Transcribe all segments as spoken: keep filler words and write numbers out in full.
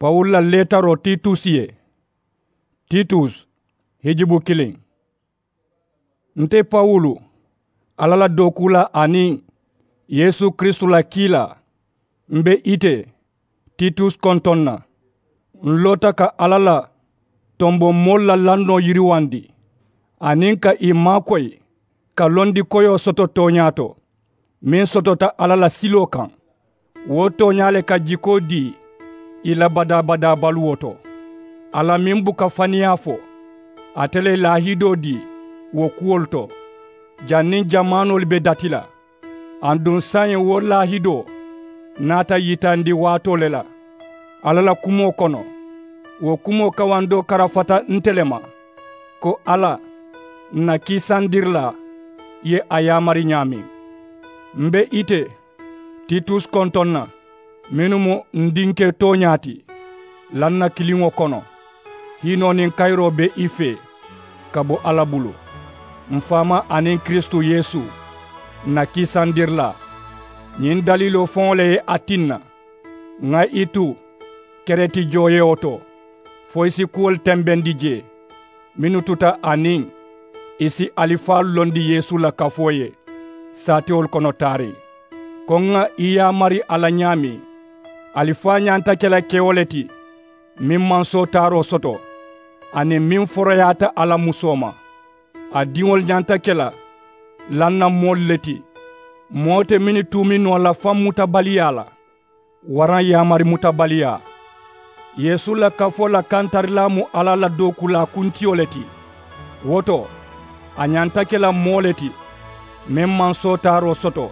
Pawulu la leetaroo titus ye. Titus, hijibu kiliŋ. Nte pawulu, alla la dookuulaa aniŋ yeesu kiristu la kiilaa, m be ite titus kontoŋ na. N loota ka alla la tomboŋ moolu la lannoo yiriwandi, aniŋ ka ì maakoyi ka londi koyoo soto tooñaa to, meŋ sotota alla la siloo kaŋ. Wo tooñaa le ka jikoo dii ì la badaa-badaa baluwo to. Alla meŋ buka faniyaa fo, ate le ye laahidoo dii wo kuwolu to, janniŋ jamaanoolu be dati la. Aduŋ saayiŋ wo laahidoo naata yitandi waatoo le la alla la kumoo kono. Wo kumoo kawandoo karafata nte le ma, ko alla, n na kiisandirilaa ye a yaamari ñaameŋ. M be ite titus kontoŋ na, mennu mu n dinke tooñaa ti, lannakiliŋo kono. Hiinoo niŋ kayiroo be i fee ka bo alla bulu. M faamaa aniŋ kiristu yeesu, n na kiisandirilaa, ñiŋ daliiloo faŋo le ye a tinna ŋa i tu kereti jooyewo to, fo i si kuwolu tembendi jee mennu tuta a niŋ i si alifaalu londi yeesu la kafoo ye saatewolu kono taariŋ. Ko ŋa i yaamari a la ñaameŋ, alifaa ñanta ke la kewo le ti, meŋ maŋ sootaaroo soto, aniŋ meŋ foroyaata a la musoo ma. A diŋolu ñanta ke la lanna moolu le ti, moo te mennu tuumi noo la faŋ mutabaliyaa la waraŋ yaamari mutabaliyaa. Yeesu la kafoo la kantarilaa mu alla la dookuulaa kuntiyo le ti. Wo to, a ñanta ke la moo le ti, meŋ maŋ sootaaroo soto.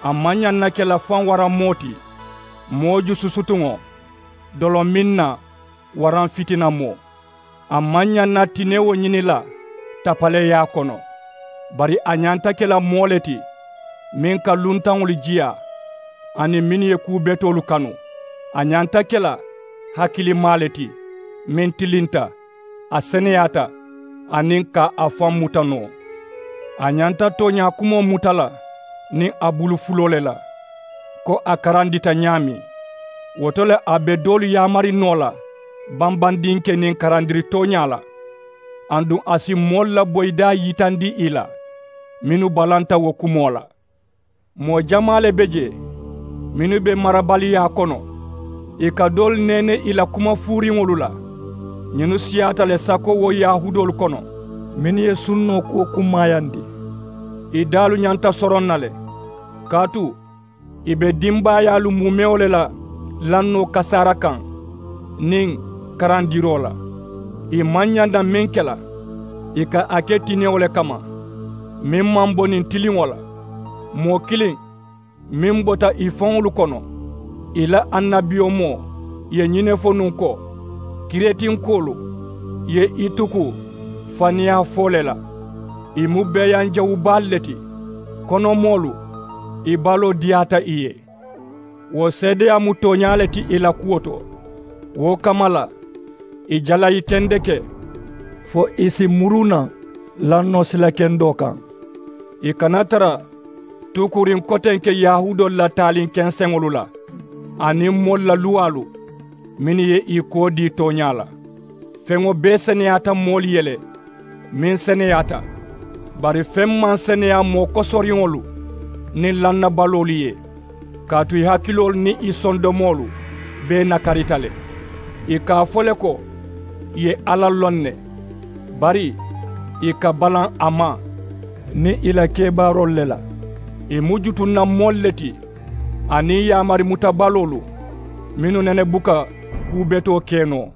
A maŋ ñaŋ na ke la faŋ waraŋ moo ti, moo jususutuŋo, dolominna waraŋ fitinamoo. A maŋ ñaŋ na tinewo ñini la tapaleeyaa kono, bari a ñanta ke la moo le ti, meŋ ka luntaŋolu jiyaa aniŋ mennu ye kuu betoolu kanu. A ñanta ke la hakilimaa le ti, meŋ tilinta, a seneyaata, aniŋ ka a faŋ muta noo. A ñanta tooñaa kumoo muta la niŋ a bulu fuloo le la, ko a karandita ñaameŋ. Wo to le a be doolu yaamari noo la bambandinke niŋ karandiri tooñaa la, aduŋ a si moolu la boyidaa yitandi ì la mennu balanta wo kumoo la. Moo jamaa le be jee mennu be marabaliyaa kono, ì ka doolu neene ì la kuma fuuriŋolu la. Ñinnu siyaata le sako wo yahuudoolu kono, mennu ye sunnoo kuwo kummaayandi. Ì daalu ñanta soroŋ na le, kaatu ì be dimbaayaalu muumewo le la lannoo kasaara kaŋ niŋ karandiroo la. Ì maŋ ñaŋ na meŋ ke la, ì ka a ke tinewo le kamma, meŋ maŋ bo niŋ tiliŋo la. Moo kiliŋ meŋ bota ì faŋolu kono, ì la annabiyomoo ye ñiŋ ne fo nuŋ ko, kiretinkoolu ye i tuku faniyaa foo le la. Ì mu beeyaŋ jawubaalu le ti, konomoolu, ì baloo diyaata ì ye. Wo seedeyaa mu tooñaa le ti ì la kuwo to. Wo kamma la, ì jalayi tendeke fo ì si muru naŋ lannoo sila kendoo kaŋ. Ì kana tara tuukuriŋ kotenke yahuudoolu la taaliŋ kenseŋolu la aniŋ moolu la luwaalu mennu ye ì koo dii tooñaa la. Feŋo bee seneyaata moolu ye le, meŋ seneyaata, bari feŋ maŋ seneyaa moo kosoriŋolu niŋ lannabaloolu ye, kaatu ì hakiloolu niŋ ì sondomoolu bee nakarita le. Ì ka a fo le ko ì ye alla loŋ ne, bari ì ka balaŋ a ma niŋ ì la kebaaroolu le la. Ì mu jutunna moolu le ti aniŋ yaamari mutabaloolu mennu nene buka kuu betoo ke noo.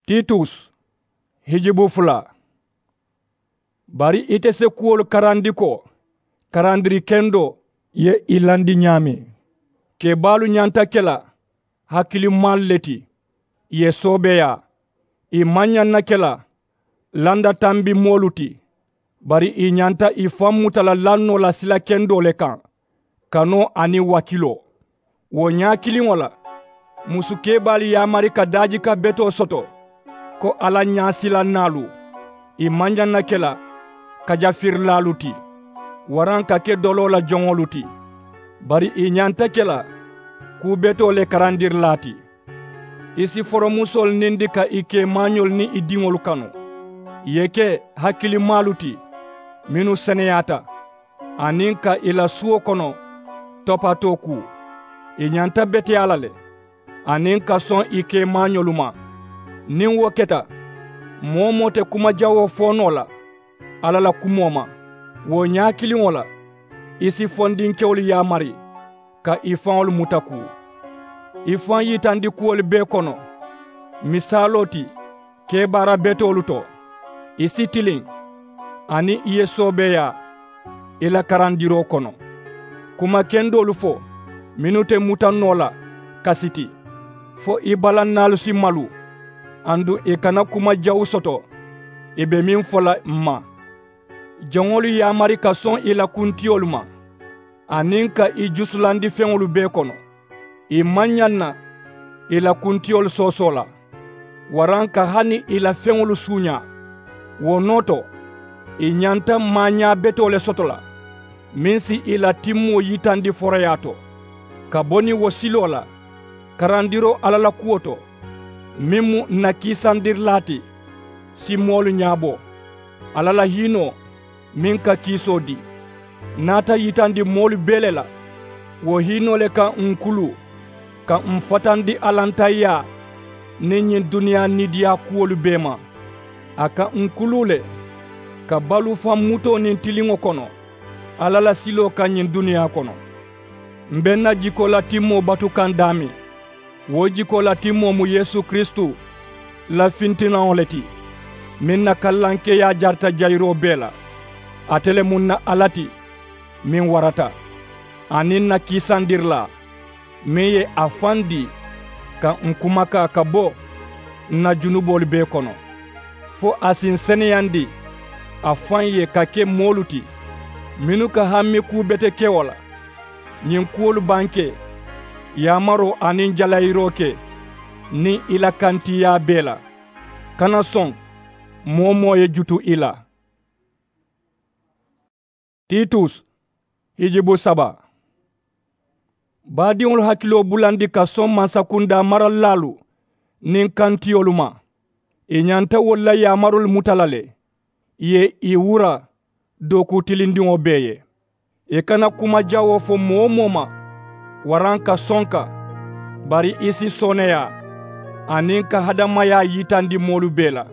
Titus, hijibu fula. Bari ite se kuwolu karandi ko karandiri kendoo ye ì landi ñaameŋ. Kebaalu ñanta ke la hakilimaalu le ti, ì ye soobeeyaa. Ì maŋ ñaŋ na ke la landa tambi moolu ti, bari ì ñanta ì faŋ muta la lannoo la sila kendoo le kaŋ, kanoo aniŋ wakiloo. Wo ñaa kiliŋo la, musu kebaalu yaamari ka daajika betoo soto ko alla ñaasilannaalu. Ì maŋ ñaŋ na ke la kajafirilaalu ti, waraŋ ka ke doloo la joŋolu ti, bari ì ñanta ke la kuu betoo le karandirilaa ti. I si foromusoolu nindi ka i keemaañoolu niŋ i diŋolu kanu. I ye ke hakilimaalu ti mennu seneyaata, aniŋ ka i la suwo kono topatoo kuu. I ñanta beteyaa la le aniŋ ka soŋ i keemaañolu ma. Niŋ wo keta, moo-wo-moo te kuma jawoo fo noo la alla la kumoo ma. Wo ñaa kiliŋo la, i si fondinkewolu yaamari ka i faŋolu muta kuu, i faŋ yitandi kuwolu bee kono. Misaaloo ti keebaara betoolu to, i si tiliŋ aniŋ i ye soobeeyaa i la karandiroo kono, kuma kendoolu fo mennu te muta noo la kasi ti, fo i balannaalu si malu, aduŋ i kana kuma jawu soto i be meŋ fo la m ma. Jaŋolu yaamari ka soŋ i la kuntiyolu ma, aniŋ ka i jusulandi feŋolu bee kono. I maŋ ñaŋ na i la kuntiyolu soosoo la, waraŋ ka hani i la feŋolu suuñaa. Wo noo to, i ñanta maañaa betoo le soto la meŋ si i la timmoo yitandi foroyaa to. Ka bo niŋ wo siloo la, karandiroo alla la kuwo to, meŋ mu n na kiisandirilaa ti, si moolu ñaabo. Alla la hiinoo meŋ ka kiisoo dii, naata yitandi moolu bee le la. Wo hiinoo le ka n kuluu ka n fatandi alantayyaa niŋ ñiŋ duniyaa niidiyaa kuwolu bee ma. A ka n kuluu le ka baluu faŋ mutoo niŋ tiliŋo kono alla la siloo kaŋ ñiŋ duniyaa kono. M be n na jikoo la timmoo batu kaŋ daameŋ. Wo jikoo la timmoo mu yeesu kiristu la fintinaŋo le ti, meŋ na kallankeeyaa jarita jayiroo bee la. Ate le mu n na alla ti meŋ warata, aniŋ n na kiisandirilaa meŋ ye a faŋ dii ka n kumakaa ka bo n na junuboolu bee kono, fo a si n seneyandi a faŋ ye ka ke moolu ti mennu ka hammi kuu betekewo la. Ñiŋ kuwolu bankee, yaamaroo aniŋ jalayiroo ke niŋ i la kantiiyaa bee la. Kana soŋ moo-wo-moo ye jutu i la. Titus, hijibu saba. Baadiŋolu hakiloo bulandi ka soŋ mansakundaa maralilaalu niŋ kantiyolu ma. I ñanta wolu la yaamaroolu muta la le, i ye i wura dookuu tilindiŋo bee ye. I kana kuma jawoo fo moo-wo-moo ma, waraŋ ka sonka, bari i si sooneeyaa aniŋ ka hadamayaa yitandi moolu bee la.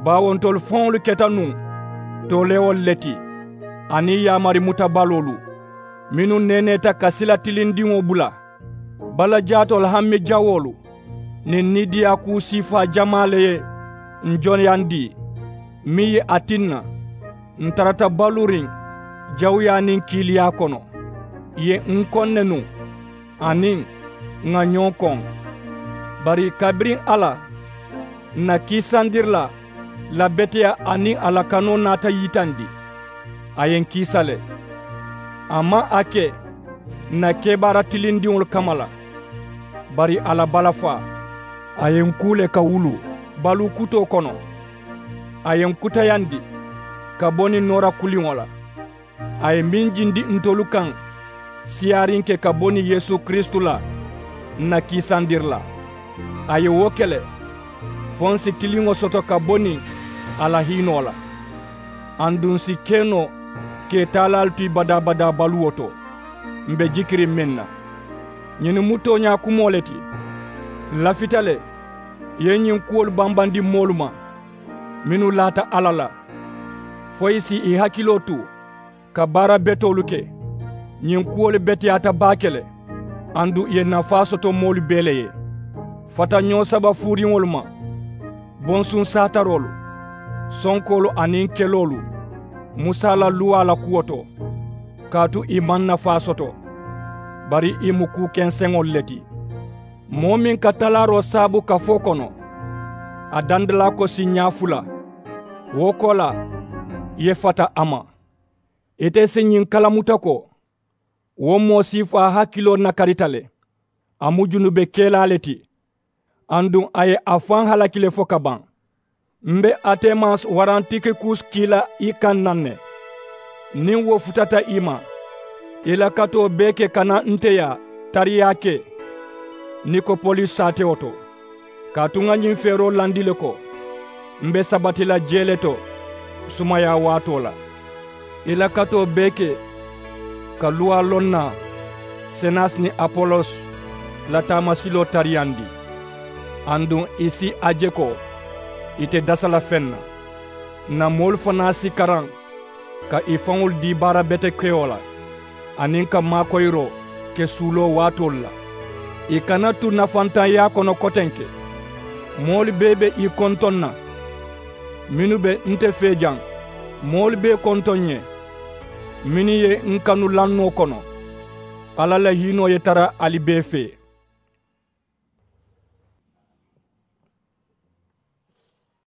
Baawo ntolu faŋolu keta nuŋ toolewolu le ti, aniŋ yaamari mutabaloolu mennu neeneeta ka sila tilindiŋo bula. Bala jaatoolu hammi jawoolu niŋ niidiyaa kuu siifaa jamaa le ye n jonayandi, meŋ ye a tinna n tarata baluuriŋ jawuyaa niŋ kiiliyaa kono. Ì ye n koŋ ne nuŋ aniŋ ŋà ñoo koŋ. Bari kabiriŋ alla n na kiisandirilaa la beteyaa aniŋ a la kanoo naata yitandi, a ye n kiisa le. A maŋ a ke n na kebaara tilindiŋolu kamma la, bari a la balafaa, a ye n kuu le ka wuluu baluu kutoo kono. A ye n kutayandi ka bo niŋ noora kuliŋo la. A ye meŋ jindi ntolu kaŋ siyaariŋ ke ka bo niŋ yeesu kiristu la n na kiisandirilaa. A ye wo ke le fo n si tiliŋo soto ka bo niŋ a la hiinoo la, aduŋ n si ke noo ka ì taalaalu tu ì badaa-badaa baluwo to, m̀ be jikiriŋ meŋ na. Ñinnu mu tooñaa kumoo le ti. Ǹ lafita le ì ye ñiŋ kuwolu bambandi moolu ma mennu laata alla la, fo ì si ì hakiloo tu ka baara betoolu ke. Ñiŋ kuwolu beteyaata baake le, aduŋ ì ye nafaa soto moolu bee le ye. Fatañoo saba fuuriŋolu ma, bonsuŋ saataroolu, sonkoolu aniŋ keloolu, musa la luwaa la kuwo to, kaatu ì maŋ nafaa soto, bari ì mu kuu kenseŋolu le ti. Moo meŋ ka talaaroo saabu kafoo kono, a dandalaako si ñaa fula. Wo koolaa, ì ye fata a ma. Ite si ñiŋ kalamuta ko, wo moo siifaa hakiloo nakarita le, a mu junube kelaa le ti, aduŋ a ye a faŋ halaki le fo ka baŋ. M be atemas waraŋ tikikus kii la i kaŋ naŋ ne. Niŋ wo futata i ma, i la katoo bee ke kana nte yaa tariyaa ke Nikopolis saatewo to. Kaatu ŋa ñiŋ feeroo landi le ko, m be sabati la jee le to sumayaa waatoo la. I la katoo bee ke ka luwaa loŋ na senas niŋ apolos la taamasiloo tariyandi, aduŋ ì si a je ko ì te dasa la feŋ na. Ǹ na moolu fanaa si karaŋ ka ì faŋolu dii baara betekewo la, aniŋ ka maakoyiroo ke suuloo waatoolu la. Ì kana tu nafantaŋyaa kono kotenke. Moolu bee be ì kontoŋ na mennu be nte fee jaŋ. Moolu bee kontoŋ n ye mennu ye n kanu lannoo kono. Alla la hiinoo ye tara ali bee fee.